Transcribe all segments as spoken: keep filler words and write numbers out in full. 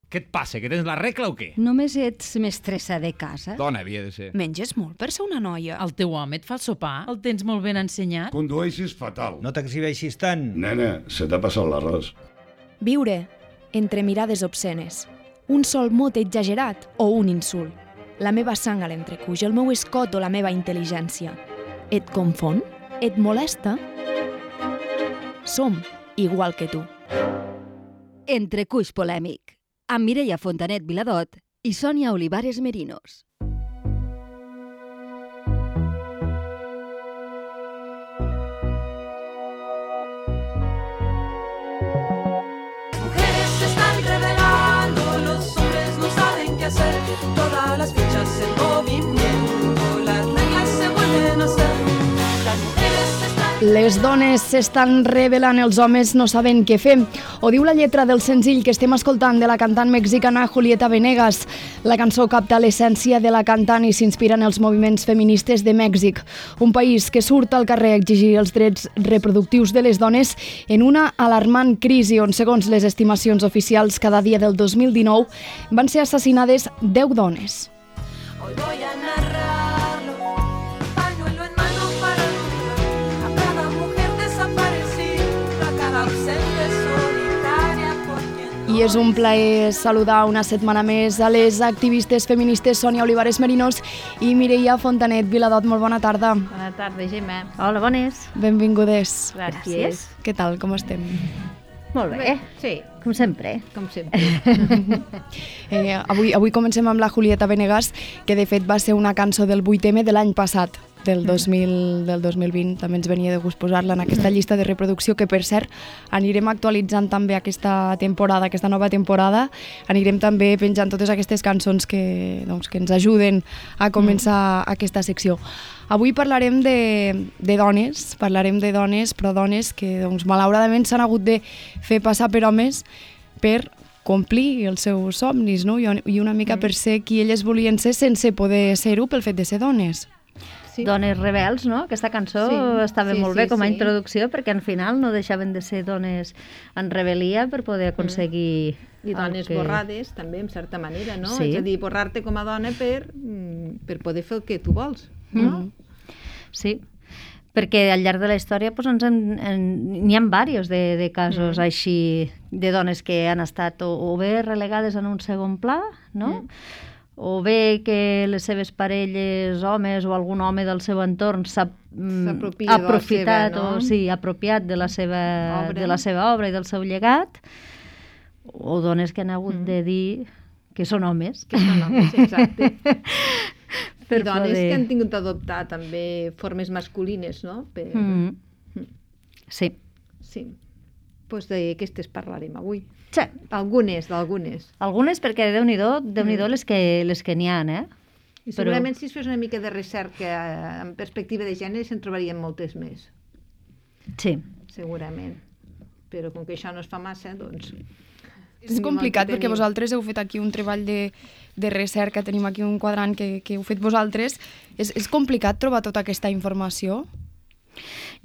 Què et passa? Que tens la regla o què? Només ets mestressa de casa? Dona havia de ser. Menges molt per ser una noia. El teu home et fa el sopar? El tens molt ben ensenyat? Condueixis fatal. No t'exhibeixis tant. Nena, se t'ha passat l'arròs. Viure entre mirades obscenes. Un sol mot exagerat o un insult. La meva sang a l'entrecuix, el meu escot o la meva intel·ligència. Et confon? Et molesta? Som igual que tu. Entrecuix polèmic, amb Mireia Fontanet Viladot i Sònia Olivares Merinos. Mujeres se están revelando, los hombres no saben qué hacer, todas las fichas en movimiento, las reglas se vuelven a hacer, las mujeres se están... Les dones s'estan revelant, els homes no saben què fer. Ho diu la lletra del senzill que estem escoltant de la cantant mexicana Julieta Venegas. La cançó capta l'essència de la cantant i s'inspira en els moviments feministes de Mèxic, un país que surt al carrer a exigir els drets reproductius de les dones en una alarmant crisi on, segons les estimacions oficials, cada dia del dos mil dinou van ser assassinades deu dones. Hoy voy a narrarlo, pañuelo en mano para olvidar a cada mujer desaparecida, a cada ausente solitaria por quien no... I és un plaer saludar una setmana més a les activistes feministes Sònia Olivares Merinos i Mireia Fontanet Viladot. Molt bona tarda. Bona tarda, Gemma. Hola, bones. Benvingudes. Gràcies. Què tal, com estem? Molt bé. Sí. Com sempre. Com sempre. eh, avui, avui comencem amb la Julieta Venegas, que de fet va ser una cançó del vuit eme de l'any passat, del dos mil, del dos mil vint. També ens venia de gust posar-la en aquesta llista de reproducció, que per cert anirem actualitzant també aquesta temporada, aquesta nova temporada. Anirem també penjant totes aquestes cançons que, doncs, que ens ajuden a començar mm. aquesta secció. Avui parlarem de, de dones, parlarem de dones, però dones que doncs, malauradament s'han hagut de fer passar per homes per complir els seus somnis, no? I una mica per ser qui elles volien ser sense poder ser-ho pel fet de ser dones. Sí. Dones rebels, no? Aquesta cançó sí, estava sí, molt bé sí, com a sí. introducció, perquè al final no deixaven de ser dones en rebel·lia per poder aconseguir... Mm. I dones que... borrades, també, en certa manera, no? Sí. És a dir, borrar-te com a dona per, per poder fer el que tu vols, no? Mm. Sí, perquè al llarg de la història doncs, ens en, en, n'hi ha diversos de, de casos mm. així de dones que han estat o, o bé relegades en un segon pla, no? Mm. O bé que les seves parelles, homes o algun home del seu entorn s'ha mm, aprofitat seva, no? o sí, apropiat de la, seva, de la seva obra i del seu llegat, o dones que han hagut mm. de dir que són homes. Que són homes, exacte. Per I dones poder... que han tingut d'adoptar també formes masculines, no? Per... Mm. Sí. Sí. Doncs pues d'aquestes parlarem avui. Sí. Algunes, d'algunes. Algunes perquè Déu-n'hi-do, Déu-n'hi-do mm. les que, les que n'hi ha, eh? I segurament Però... si es fes una mica de recerca en perspectiva de gènere se'n trobarien moltes més. Sí. Segurament. Però com que això no es fa massa, doncs... És complicat perquè vosaltres heu fet aquí un treball de, de recerca, tenim aquí un quadrant que, que heu fet vosaltres. És, és complicat trobar tota aquesta informació?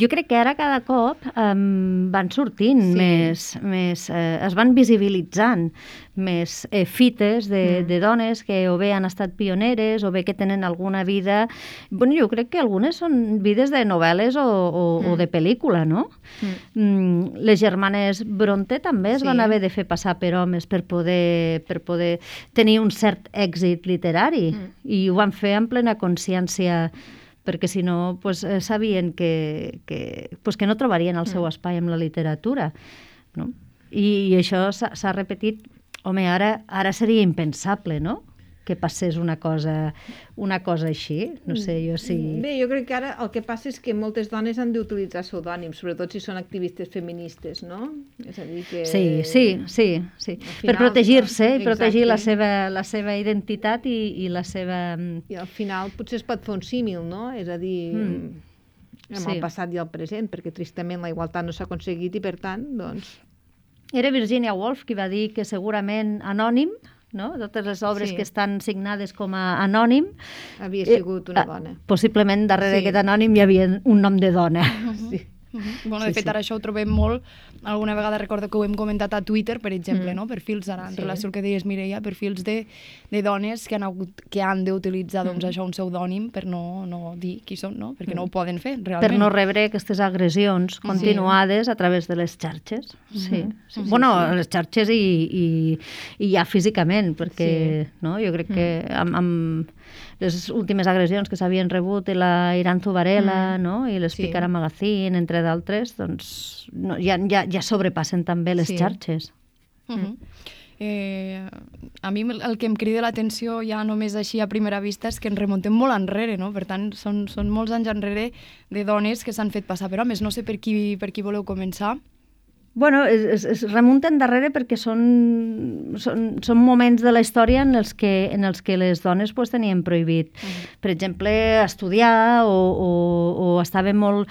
Jo crec que ara cada cop um, van sortint sí. més, més eh, es van visibilitzant més eh, fites de, mm. de dones que o bé han estat pioneres o bé que tenen alguna vida... Bueno, jo crec que algunes són vides de novel·les o, o, mm. o de pel·lícula, no? Mm. Mm, les germanes Bronte també es sí. van haver de fer passar per homes per poder, per poder tenir un cert èxit literari mm. i ho van fer en plena consciència, perquè si no pues, eh, sabien que, que, pues, que no trobarien el seu espai amb la literatura. No? I, i això s'ha repetit, home, ara, ara seria impensable, no?, que passés una cosa, una cosa així. No sé, jo sí... Bé, jo crec que ara el que passa és que moltes dones han d'utilitzar pseudònims, sobretot si són activistes feministes, no? És a dir que... Sí, sí, sí. sí. Final, per protegir-se i protegir la seva, la seva identitat i, i la seva... I al final potser es pot fer un símil, no? És a dir, mm. amb sí. el passat i el present, perquè tristament la igualtat no s'ha aconseguit i per tant, doncs... Era Virginia Woolf qui va dir que segurament anònim, no? Totes les obres sí. que estan signades com a anònim... Havia sigut una dona. Eh, possiblement darrere sí. d'aquest anònim hi havia un nom de dona. Sí. Uh -huh. Bueno, de Sí, fet, sí. ara això ho trobem molt. Alguna vegada recordo que ho hem comentat a Twitter, per exemple, Mm. no? Perfils, ara, en Sí. relació al que deies, Mireia, perfils de, de dones que han, hagut, que han d'utilitzar doncs, Mm. això, un pseudònim per no, no dir qui són, no? Perquè Mm. no ho poden fer, realment. Per no rebre aquestes agressions continuades a través de les xarxes. Sí. Mhm. sí. Bueno, les xarxes i, i, i ja físicament, perquè no? Jo crec que amb, amb les últimes agressions que s'havien rebut de la Iranzu Varela, Mm. no? I l'Spicara Sí. Magazine, entre d'altres, doncs no, ja, ja, ja sobrepassen també les Sí. xarxes. Uh -huh. eh, a mi el el que em crida l'atenció ja només així a primera vista és que ens remuntem molt enrere, no? Per tant, són, són molts anys enrere de dones que s'han fet passar per homes. No sé per qui, per qui voleu començar. Bueno, es, es, es remunten darrere perquè són, són, són moments de la història en els que, en els que les dones pues, tenien prohibit, Mm. per exemple, estudiar o, o, o estava molt,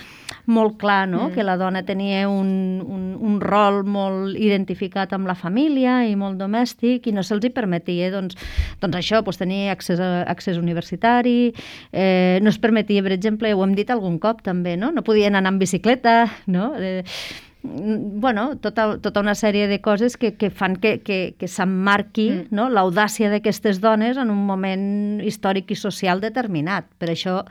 molt clar no? Mm. que la dona tenia un, un, un rol molt identificat amb la família i molt domèstic i no se'ls hi permetia doncs, doncs això, pues, tenir accés, a, accés universitari, eh, no es permetia, per exemple, ho hem dit algun cop també, no, no podien anar en bicicleta, no? Eh, bueno, tota, tota una sèrie de coses que, que fan que, que, que s'emmarqui Mm. no? l'audàcia d'aquestes dones en un moment històric i social determinat. Per això,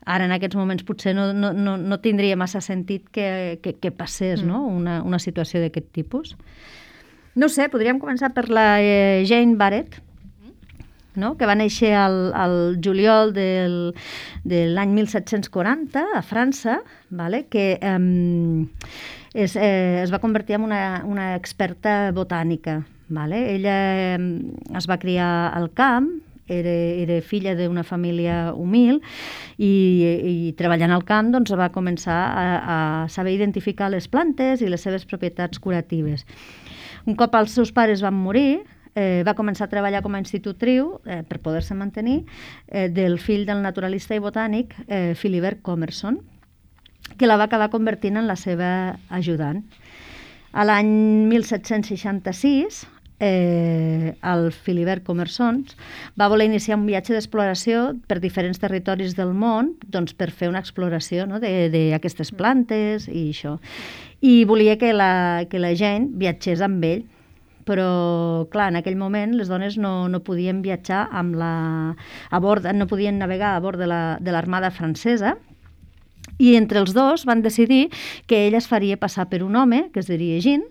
ara en aquests moments potser no, no, no, no tindria massa sentit que, que, que passés Mm. no? una, una situació d'aquest tipus. No ho sé, podríem començar per la eh, Jane Barrett, no? que va néixer al, al juliol del, de l'any mil set-cents quaranta a França, vale? que eh, es, eh, es va convertir en una, una experta botànica. Vale? Ella eh, es va criar al camp, era, era filla d'una família humil i, i treballant al camp doncs, va començar a, a saber identificar les plantes i les seves propietats curatives. Un cop els seus pares van morir, eh, va començar a treballar com a institutriu eh, per poder-se mantenir eh, del fill del naturalista i botànic eh, Philibert Commerson, que la va acabar convertint en la seva ajudant. A l'any mil set-cents seixanta-sis, eh, el Philibert Commerson va voler iniciar un viatge d'exploració per diferents territoris del món doncs, per fer una exploració no, d'aquestes plantes i això. I volia que la, que la gent viatgés amb ell, però, clar, en aquell moment les dones no, no podien viatjar amb la, a bord, no podien navegar a bord de la, de l'Armada francesa, i entre els dos van decidir que ella es faria passar per un home, que es diria Jean,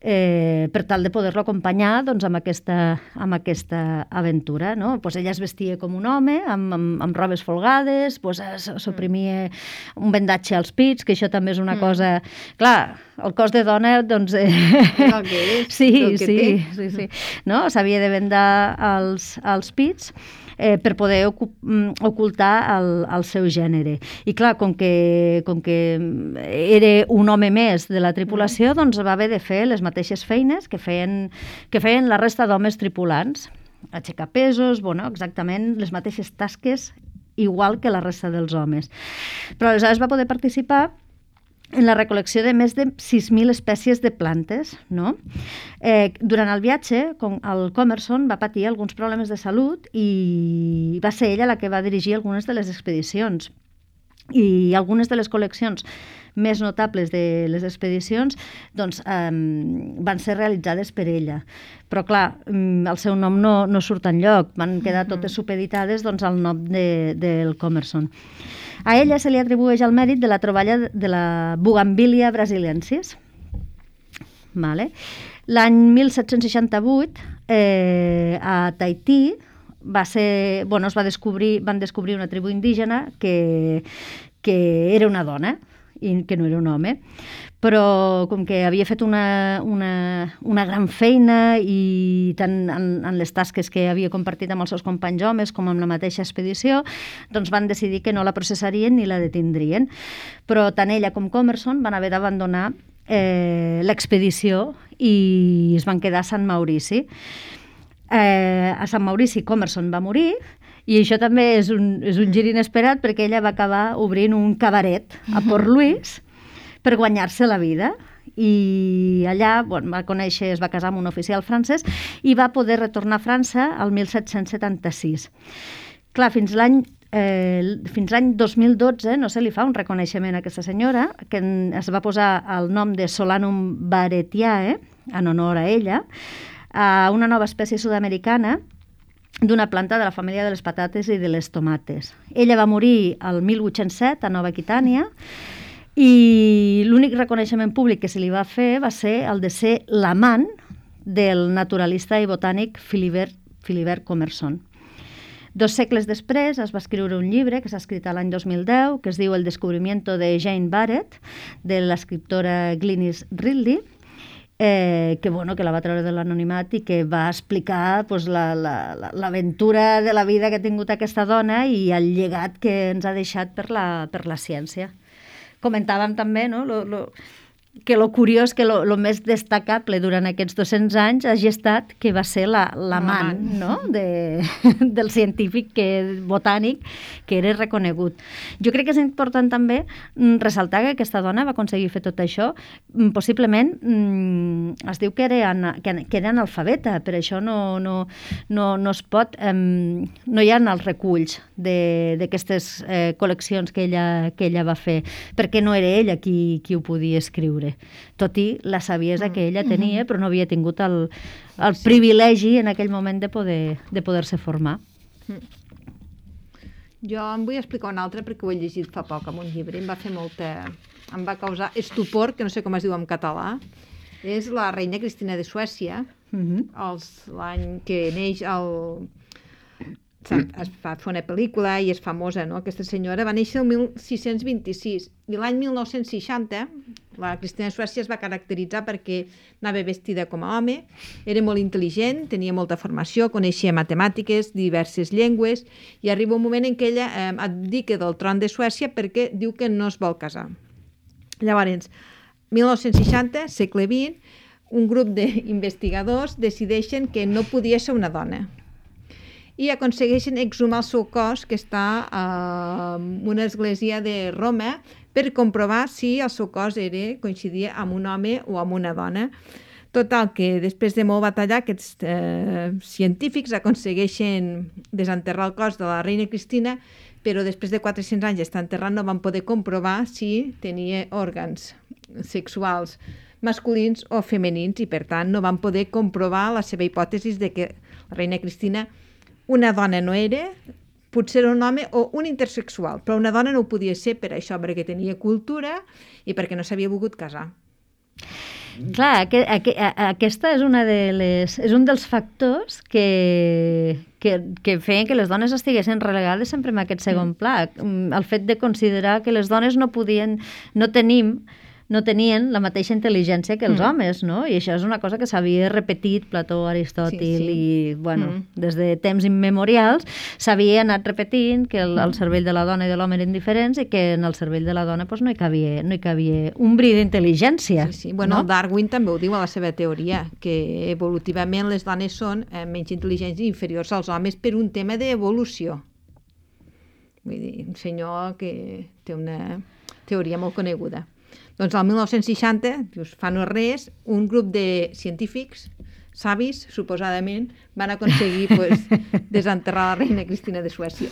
eh, per tal de poder-lo acompanyar doncs, amb, aquesta, amb aquesta aventura. No? Pues ella es vestia com un home, amb, amb, amb robes folgades, pues, s'oprimia un vendatge als pits, que això també és una mm. cosa... Clar, el cos de dona, doncs... Eh... El que és, sí, el que sí, té. sí, sí. No? S'havia de vendar els, els pits eh, per poder ocultar el, el seu gènere. I clar, com que, com que era un home més de la tripulació, mm. doncs va haver de fer les mateixes feines que feien, que feien la resta d'homes tripulants. Aixecar pesos, bueno, exactament les mateixes tasques igual que la resta dels homes. Però aleshores va poder participar en la recol·lecció de més de sis mil espècies de plantes. No? Eh, durant el viatge, com el Commerson va patir alguns problemes de salut i va ser ella la que va dirigir algunes de les expedicions. I algunes de les col·leccions més notables de les expedicions doncs, eh, van ser realitzades per ella. Però, clar, el seu nom no, no surt enlloc. Van quedar totes supeditades doncs, al nom de, del Commerson. A ella se li atribueix el mèrit de la troballa de la Bugambilia brasiliensis. Vale. L'any mil set-cents seixanta-vuit, eh, a Tahití, va ser, bueno, es va descobrir, van descobrir una tribu indígena que, que era una dona i que no era un home, però com que havia fet una, una, una gran feina i tant en, en les tasques que havia compartit amb els seus companys homes com amb la mateixa expedició, doncs van decidir que no la processarien ni la detindrien. Però tant ella com Commerson van haver d'abandonar eh, l'expedició i es van quedar a Sant Maurici. Eh, a Sant Maurici Commerson va morir i això també és un, és un gir inesperat perquè ella va acabar obrint un cabaret a Port Louis per guanyar-se la vida i allà bueno, va conèixer, es va casar amb un oficial francès i va poder retornar a França el mil set-cents setanta-sis. Clar, fins l'any eh, fins l'any dos mil dotze no se li fa un reconeixement a aquesta senyora, que es va posar el nom de Solanum baretiae, en honor a ella, a una nova espècie sud-americana d'una planta de la família de les patates i de les tomates. Ella va morir el mil vuit-cents set a Nova Aquitània i l'únic reconeixement públic que se li va fer va ser el de ser l'amant del naturalista i botànic Philibert, Philibert Commerson. Dos segles després es va escriure un llibre que s'ha escrit l'any dos mil deu que es diu El descubrimiento de Jane Barrett, de l'escriptora Glynis Ridley, Eh, que, bueno, que la va treure de l'anonimat i que va explicar pues, l'aventura la, la, de la vida que ha tingut aquesta dona i el llegat que ens ha deixat per la, per la ciència. Comentàvem també, no?, lo, lo, que lo curiós, que lo, lo més destacable durant aquests dos-cents anys hagi estat que va ser l'amant, la, no?, de, del científic que, botànic que era reconegut. Jo crec que és important també ressaltar que aquesta dona va aconseguir fer tot això. Possiblement es diu que era, que, que era analfabeta, per això no, no, no, no es pot... Eh, no hi ha els reculls d'aquestes eh, col·leccions que ella, que ella va fer, perquè no era ella qui, qui ho podia escriure. Tot i la saviesa que ella tenia, però no havia tingut el, el privilegi en aquell moment de poder de poder-se formar. Jo em vull explicar una altra perquè ho he llegit fa poc en un llibre. Em va fer molta... em va causar estupor, que no sé com es diu en català. És la reina Cristina de Suècia, uh-huh. l'any que neix el... es va fer una pel·lícula i és famosa, no? Aquesta senyora va néixer el mil sis-cents vint-i-sis i l'any mil nou-cents seixanta la Cristina de Suècia es va caracteritzar perquè anava vestida com a home, era molt intel·ligent, tenia molta formació, coneixia matemàtiques, diverses llengües i arriba un moment en què ella eh, abdica del tron de Suècia perquè diu que no es vol casar. Llavors, mil nou-cents seixanta, segle vint, un grup d'investigadors decideixen que no podia ser una dona i aconsegueixen exhumar el seu cos que està en una església de Roma per comprovar si el seu cos era, coincidia amb un home o amb una dona. Total, que després de molt batallar, aquests eh, científics aconsegueixen desenterrar el cos de la reina Cristina, però després de quatre-cents anys d'estar enterrat no van poder comprovar si tenia òrgans sexuals masculins o femenins i, per tant, no van poder comprovar la seva hipòtesi de que la reina Cristina una dona no era, potser era un home o un intersexual, però una dona no ho podia ser per això, perquè tenia cultura i perquè no s'havia volgut casar. Clar, aqu aqu aquesta és, una de les, és un dels factors que, que, que feien que les dones estiguessin relegades sempre en aquest segon pla. El fet de considerar que les dones no podien, no tenim no tenien la mateixa intel·ligència que els mm. homes, no? I això és una cosa que s'havia repetit Plató, Aristòtil, sí, sí. i, bueno, mm. des de temps immemorials s'havia anat repetint que el, el cervell de la dona i de l'home eren diferents i que en el cervell de la dona pues, no, hi cabia, no hi cabia un bri d'intel·ligència. Sí, sí. Bueno, no? Darwin també ho diu a la seva teoria, que evolutivament les dones són eh, menys intel·ligents i inferiors als homes per un tema d'evolució. Vull dir, un senyor que té una teoria molt coneguda. Doncs al mil nou-cents seixanta, dius, fa no res, un grup de científics, savis, suposadament, van aconseguir pues, desenterrar la reina Cristina de Suècia.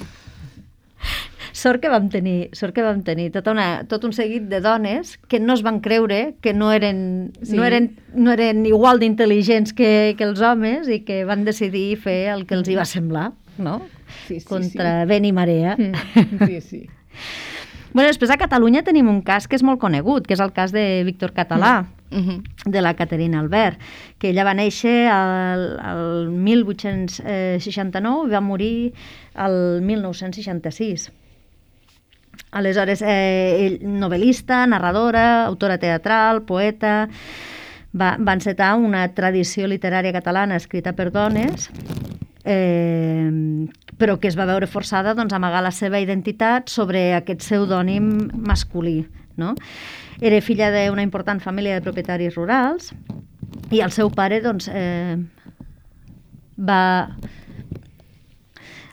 Sort que vam tenir, sort que vam tenir tota una, tot un seguit de dones que no es van creure que no eren, sí. no eren, no eren igual d'intel·ligents que, que els homes i que van decidir fer el que els hi va semblar, no? Sí, sí, contra sí. vent i marea. Sí, sí. Bueno, després a Catalunya tenim un cas que és molt conegut, que és el cas de Víctor Català, mm. de la Caterina Albert, que ella va néixer al, al mil vuit-cents seixanta-nou i va morir al mil nou-cents seixanta-sis. Aleshores, eh, novel·lista, narradora, autora teatral, poeta, va, va encetar una tradició literària catalana escrita per dones, eh, però que es va veure forçada doncs, a amagar la seva identitat sobre aquest pseudònim masculí. No? Era filla d'una important família de propietaris rurals i el seu pare doncs, eh, va...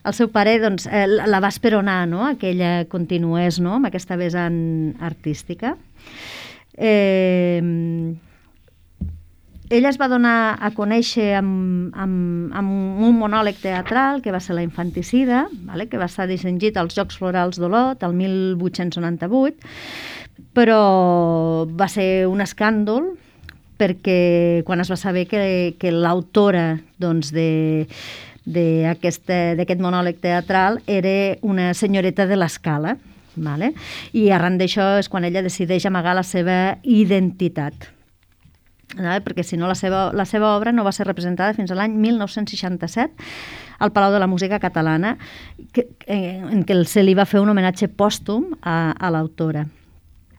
El seu pare doncs, eh, la va esperonar, no? Que ella continués, no? Amb aquesta vessant artística. Eh, ella es va donar a conèixer amb, amb, amb un monòleg teatral que va ser La infanticida, vale? Que va estar distingit als Jocs Florals d'Olot el mil vuit-cents noranta-vuit, però va ser un escàndol perquè quan es va saber que, que l'autora doncs, de d'aquest monòleg teatral era una senyoreta de l'Escala, vale? I arran d'això és quan ella decideix amagar la seva identitat, vale? Perquè si no la seva, la seva obra no va ser representada fins a l'any mil nou-cents seixanta-set al Palau de la Música Catalana, que, en què se li va fer un homenatge pòstum a, a l'autora.